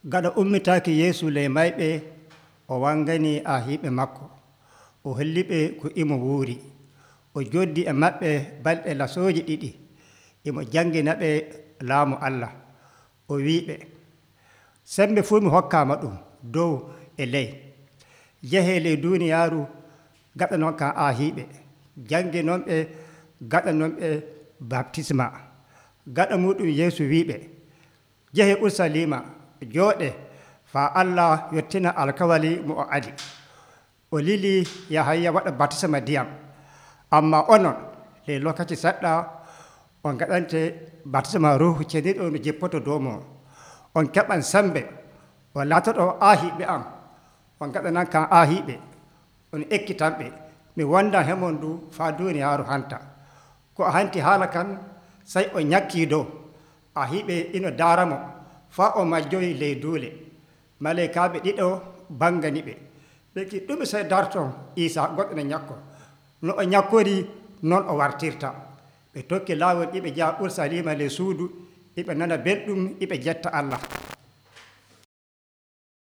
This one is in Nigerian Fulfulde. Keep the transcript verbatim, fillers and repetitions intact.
Gaɗa ummitaaki Yeesu ley mayɓe, o wanganii aahiiɓe makko, o holliɓe ko imo wuuri. O joddii e maɓɓe balɗe lasooje ɗiɗi, imo janngina ɓe laamu Allah. O wi'iɓe, sembe fuu mi hokkaama ɗum dow e ley. Njehee ley duuniyaaru gaɗanon kam aahiiɓe, jannginonɓe, gaɗanonɓe baptisma. Gaɗa muɗum Yeesu wi'iɓe, njehee Urusalima, jooɗee faa Allah yottina alkawali mo o ali. O lilii Yahaya waɗa baptisma ndiyam. Ammaa onon ley lokaci seɗɗa on ngaɗante baptisma Ruuhu Ceniiɗo no jippoto dow mon. On keɓan sembe, on laatoɗo aahiiɓe am, on ngaɗanan kam aahiiɓe, on ekkitanɓe. Mi wondan he mon du faa duuniyaaru hanta. Ko o hanti haala kan, sey o ñakkii dow. Aahiiɓe ina daara mo faa o majjoyi ley duule. Maleykaaɓe ɗiɗo bangani ɓe. Ɓe mbi ɗume sey darton Iisaa goɗɗo no ñakko. No o ñakkorii non o wartirta. Ɓe tokki laawol iɓe njaha Urusalima ley suudu, iɓe nana belɗum, iɓe jetta Allah.